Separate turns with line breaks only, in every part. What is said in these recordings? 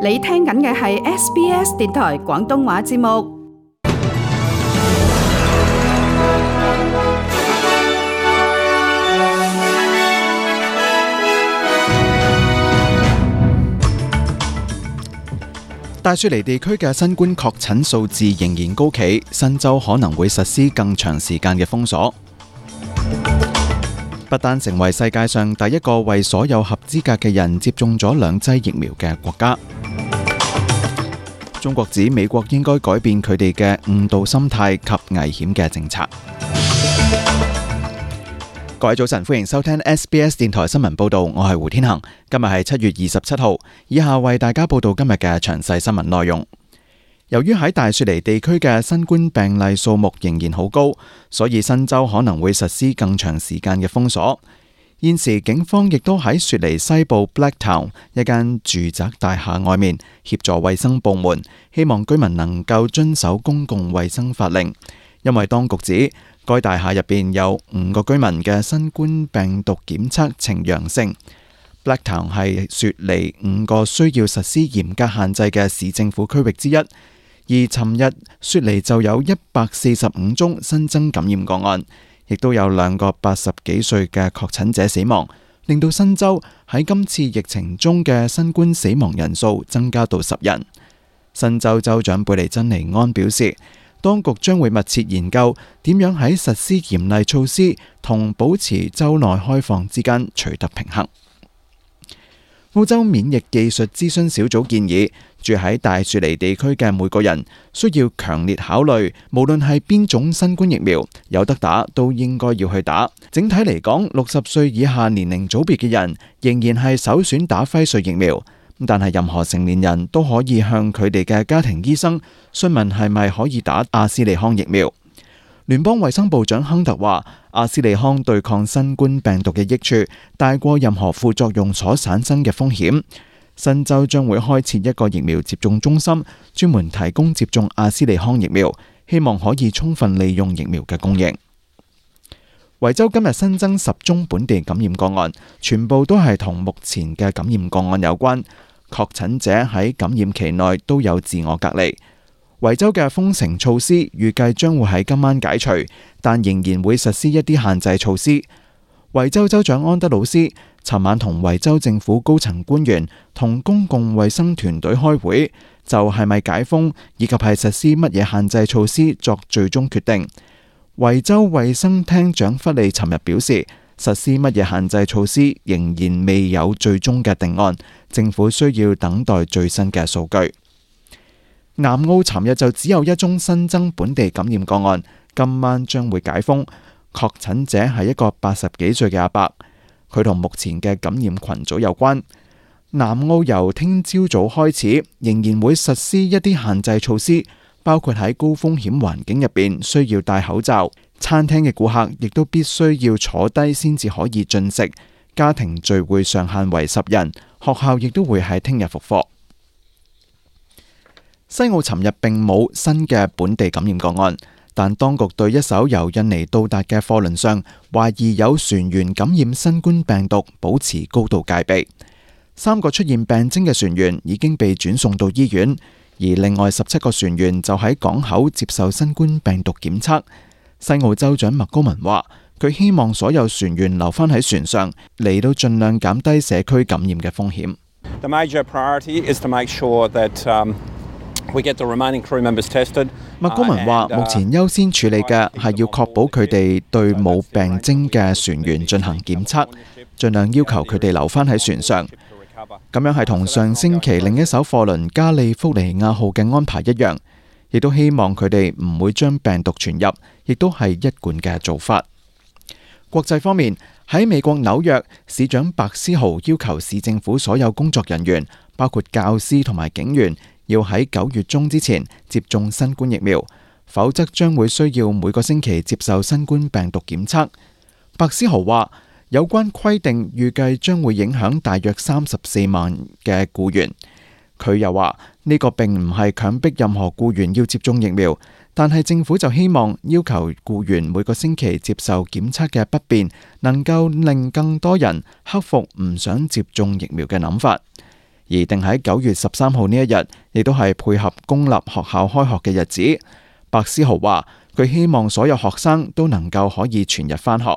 你聽緊嘅係 SBS 電台廣東話節目。
大雪梨地區嘅新冠確診數字仍然高企，新州可能會實施更長時間嘅封鎖。不丹成為世界上第一個為所有合資格嘅人接種咗2劑疫苗嘅國家。中國指美國應該改變佢哋嘅誤導心態及危險嘅政策。各位早晨，歡迎收聽 SBS 電台新聞報道，我係胡天恒。今日係7月27號，以下為大家報道今日嘅詳細新聞內容。由於喺大雪梨地區嘅新冠病例數目仍然好高，所以新州可能會實施更長時間嘅封鎖。現時警方亦都喺雪梨西部 Blacktown 一間住宅大廈外面協助衛生部門，希望居民能夠遵守公共衛生法令，因為當局指該大廈入邊有5個居民嘅新冠病毒檢測呈陽性。Blacktown 係雪梨5個需要實施嚴格限制嘅市政府區域之一，而尋日雪梨就有145宗新增感染個案，亦都有2個80幾歲嘅確診者死亡，令到新州喺今次疫情中嘅新冠死亡人數增加到10人。新州州長貝尼珍尼安表示，當局將會密切研究點樣喺實施嚴厲措施同保持州內開放之間取得平衡。澳洲免疫技術諮詢小組建議，住喺大雪梨地區嘅每個人需要強烈考慮，無論係邊種新冠疫苗，有得打都應該要去打。整體嚟講，60歲以下年齡組別嘅人仍然係首選打輝瑞疫苗。但係任何成年人都可以向佢哋嘅家庭醫生詢問係咪可以打阿斯利康疫苗。聯邦衛生部長亨特話，阿斯利康對抗新冠病毒嘅益處大過任何副作用所產生嘅風險。新州將會開設一個疫苗接種中心，專門提供接種阿斯利康疫苗，希望可以充分利用疫苗嘅供應。維州今日新增10宗本地感染個案，全部都係同目前嘅感染個案有關。確診者喺感染期內都有自我隔離。維州嘅封城措施預計將會喺今晚解除，但仍然會實施一啲限制措施。維州州長安德魯斯尋晚同維州政府高層官員同公共衛生團隊開會，就係咪解封以及係實施乜嘢限制措施作最終決定。維州衛生廳長弗利尋日表示，實施乜嘢限制措施仍然未有最終嘅定案，政府需要等待最新嘅數據。南澳尋日就只有1宗新增本地感染個案，今晚將會解封。確診者係一個80幾歲嘅阿伯，佢同目前嘅感染群組有關。南澳由聽朝早開始仍然會實施一啲限制措施，包括喺高風險環境入邊需要戴口罩，餐廳嘅顧客亦都必須要坐低先至可以進食，家庭聚會上限為10人，學校亦都會喺聽日復課。西澳尋日並冇新嘅本地感染個案，但當局對一艘由印尼到達嘅貨輪上懷疑有船員感染新冠病毒保持高度戒備。3個出現病徵嘅船員已經被轉送到醫院，而另外17個船員就喺港口接受新冠病毒檢測。西澳州長麥高文話，佢希望所有船員留返喺船上，嚟到盡量減低社區感染嘅風險。
The major priority is to make sure that we get the remaining crew members tested.
麥高文話，目前優先處理嘅係要確保佢哋對冇病徵嘅船員進行檢測，盡量要求佢哋留返喺船上。咁樣係同上星期另一艘貨輪加利福尼亞號嘅安排一樣，亦都希望佢哋唔會將病毒傳入，亦都係一貫嘅做法。國際方面，喺美國紐約，市長白思豪要求市政府所有工作人員，包括教師同埋警員，要喺9月中之前接種新冠疫苗，否則將會需要每個星期接受新冠病毒檢測。白思豪話，有關規定預計將會影響大約34萬嘅僱員。佢又話，呢個並唔係強迫任何僱員要接種疫苗，但係政府就希望要求僱員每個星期接受檢測嘅不便，能夠令更多人克服唔想接種疫苗嘅諗法。而而定喺9月13號呢一日，亦都係配合公立學校開學嘅日子。白思豪話佢希望所有學生都能夠可以全日返學。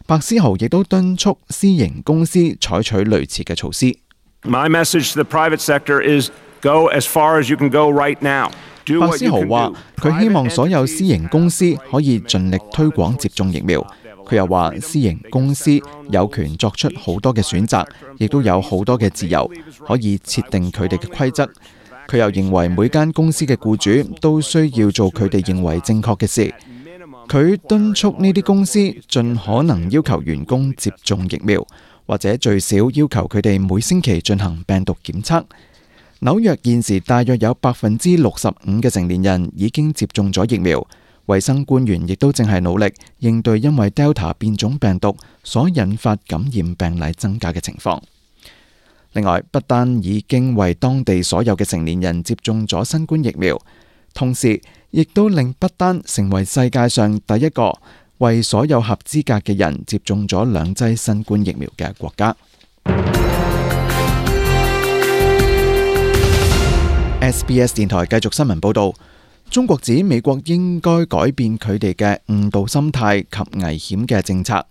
白思豪亦都敦促私營公司採取類似嘅措施。
My message to the private sector is go as far as you can go right now.
白思豪話佢希望所有私營公司可以盡力推廣接種疫苗。佢又話私營公司有權作出好多嘅選擇，亦都有好多嘅自由，可以設定佢哋嘅規則。佢又認為每間公司嘅僱主都需要做佢哋認為正確嘅事。佢敦促呢啲公司盡可能要求員工接種疫苗，或者最少要求佢哋每星期進行病毒檢測。紐約現時大約有65%嘅成年人已經接種咗疫苗。衛生官員亦都正係努力應對因為 Delta 變種病毒所引發感染病例增加嘅情況。另外，不單已經為當地所有嘅成年人接種咗新冠疫苗，同時亦都令不丹成為世界上第一個為所有合資格嘅人接種咗2劑新冠疫苗嘅國家。SBS 電台繼續新聞報道，中國指美國應該改變佢哋嘅誤導心態及危險嘅政策。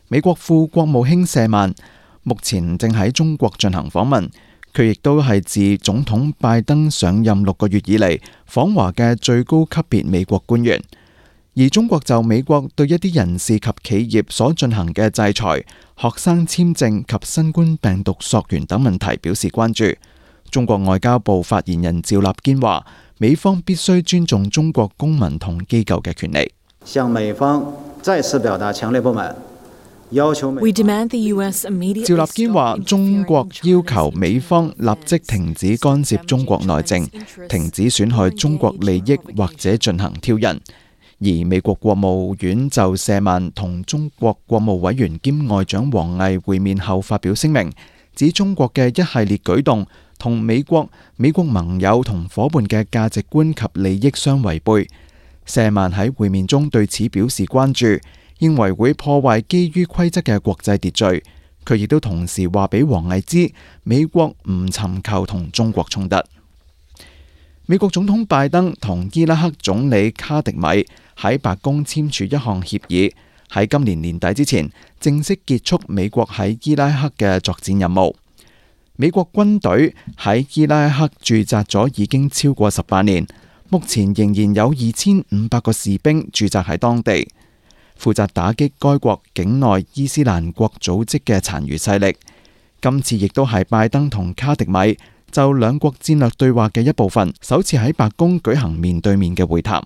美國副國務卿舍曼目前正喺中國進行訪問，佢亦都係自總統拜登上任6個月以嚟訪華嘅最高級別美國官員。而中國就美國對一啲人士及企業所進行嘅制裁、學生簽證及新冠病毒溯源等問題表示關注。中國外交部發言人趙立堅話，美方必須尊重中國公民同機構嘅權利。
向美方再次表達強烈不滿，要求美方。
趙立堅話，中國要求美方立即停止干涉中國內政，停止損害中國利益或者進行挑釁。而美國國務院就舍曼同中國國務委員兼外長王毅會面後發表聲明，指中國嘅一系列舉動同美國盟友同夥伴嘅價值觀及利益相違背。舍曼喺會面中對此表示關注，認為會破壞基於規則嘅國際秩序。佢亦都同時話俾王毅知，美國唔尋求同中國衝突。美國總統拜登同伊拉克總理卡迪米喺白宮簽署一項協議，喺今年年底之前正式結束美國喺伊拉克嘅作戰任務。美國軍隊喺伊拉克駐紮咗已經超過18年，目前仍然有2500個士兵駐紮喺當地，負責打擊該國境內伊斯蘭國組織嘅殘餘勢力。今次亦都係拜登同卡迪米就兩國戰略對話嘅一部分，首次喺白宮舉行面對面嘅會談。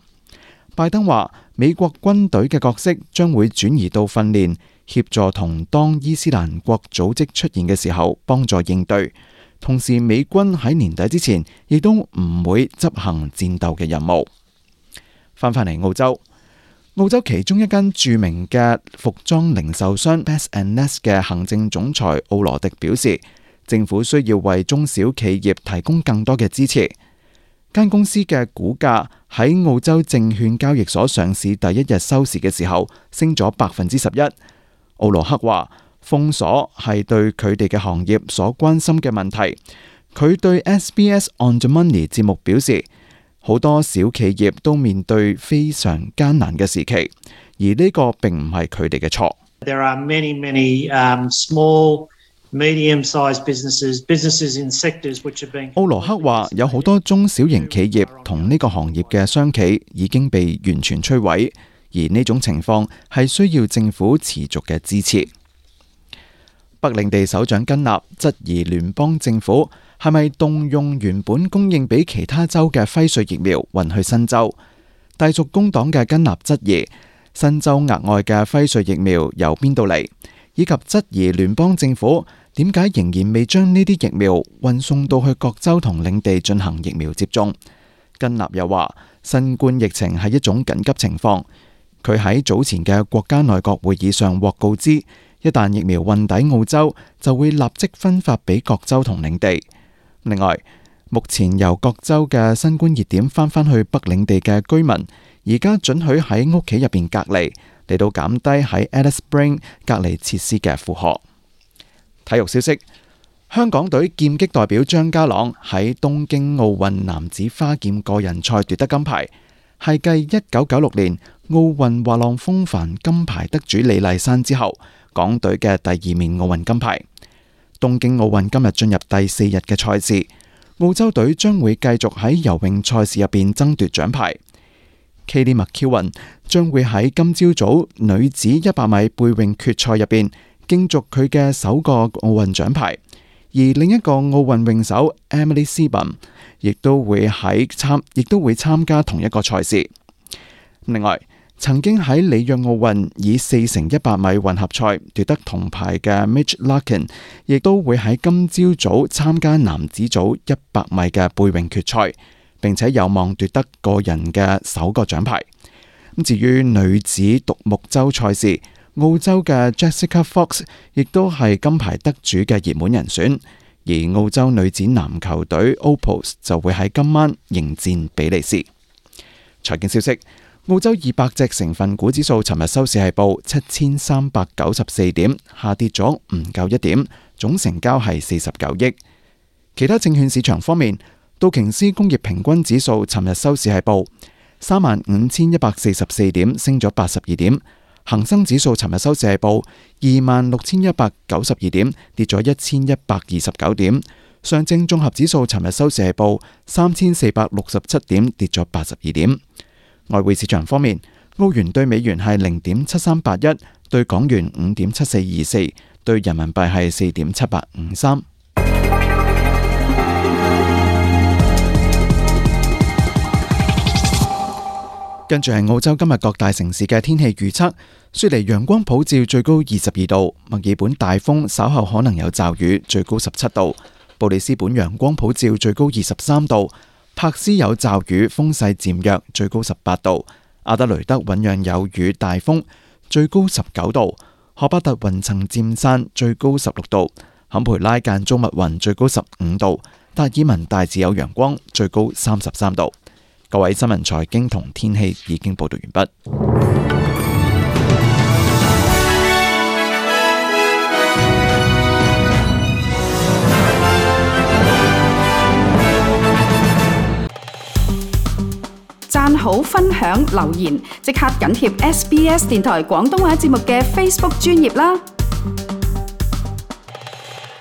拜登話，美國軍隊嘅角色將會轉移到訓練、協助同當伊斯蘭國組織出現嘅時候幫助應對，同時美軍喺年底之前亦都唔會執行戰鬥嘅任務。翻返嚟澳洲，澳洲其中一間著名嘅服裝零售商 Best and Nest 嘅行政總裁奧羅迪表示，政府需要為中小企業提供更多嘅支持。間公司嘅股價喺澳洲證券交易所上市第一日收市嘅時候升咗11%。奧羅克話，封鎖係對佢哋嘅行業所關心嘅問題。佢對 SBS On the Money 節目表示，好多小企業都面對非常艱難嘅時期，而呢個並唔係佢哋嘅錯。
There are many small medium-sized businesses in sectors which have been。
奧羅克話，有好多中小型企業同呢個行業嘅商企已經被完全摧毀，而呢種情況係需要政府持續嘅支持。北領地首長根納質疑聯邦政府係咪動用原本供應俾其他州嘅輝瑞疫苗運去新州。隸屬工黨嘅根納質疑新州額外嘅輝瑞疫苗由邊度嚟，以及質疑聯邦政府點解仍然未將呢啲疫苗運送到去各州同領地進行疫苗接種。根納又話，新冠疫情係一種緊急情況。佢喺早前嘅國家內閣會議上獲告知，一旦疫苗運抵澳洲，就會立即分發俾各州同領地。另外，目前由各州嘅新冠熱點翻返去北領地嘅居民，而家准許喺屋企入邊隔離，嚟到減低喺 Alice Springs 隔離設施嘅負荷。體育消息，香港隊劍擊代表張家朗喺東京奧運男子花劍個人賽奪得金牌，係繼1996年奧運滑浪風帆金牌得主李麗珊之後，港隊嘅第2面奧運金牌。東京奧運今日進入第4日嘅賽事，澳洲隊將會繼續喺游泳賽事入邊爭奪獎牌。Katie McEwen 將會喺今朝早女子100米背泳決賽入邊競逐佢嘅首個奧運獎牌。而另一個奧運泳手 Emily Seebohm 亦都會參加同一個賽事。另外，曾經喺里約奧運以4×100米混合賽奪得銅牌嘅 Mitch Larkin 亦都會喺今朝早參加男子組100米嘅背泳決賽，並且有望奪得個人嘅首個獎牌。至於女子獨木舟賽事，澳洲嘅 Jessica Fox 亦都係金牌得主嘅熱門人選，而澳洲女子籃球隊 Opals 就會喺今晚迎戰比利時。財經消息，澳洲200隻成分股指數尋日收市係報7394點，下跌咗唔夠1點，總成交係49億。其他證券市場方面，道瓊斯工業平均指數尋日收市係報35144點，升咗82點。恒生指數尋日收市係報26192點，跌咗1129點。上證綜合指數尋日收市係報3467點，跌咗82點。外匯市場方面，澳元對美元係0.7381，對港元5.7424，對人民幣係4.7853。跟住係澳洲今日各大城市嘅天氣預測：雪梨陽光普照，最高22度；墨爾本大風，稍後可能有驟雨，最高17度；布里斯本陽光普照，最高23度；柏斯有驟雨，風勢漸弱，最高18度；阿德雷德醞釀有雨大風，最高19度；荷巴特雲層漸散，最高16度；坎培拉間中密雲，最高15度；達爾文大致有陽光，最高33度。各位新聞財經同天氣已經報道完畢。
讚好、分享、留言，即刻緊貼SBS 電台廣東話節目嘅 Facebook 專頁啦！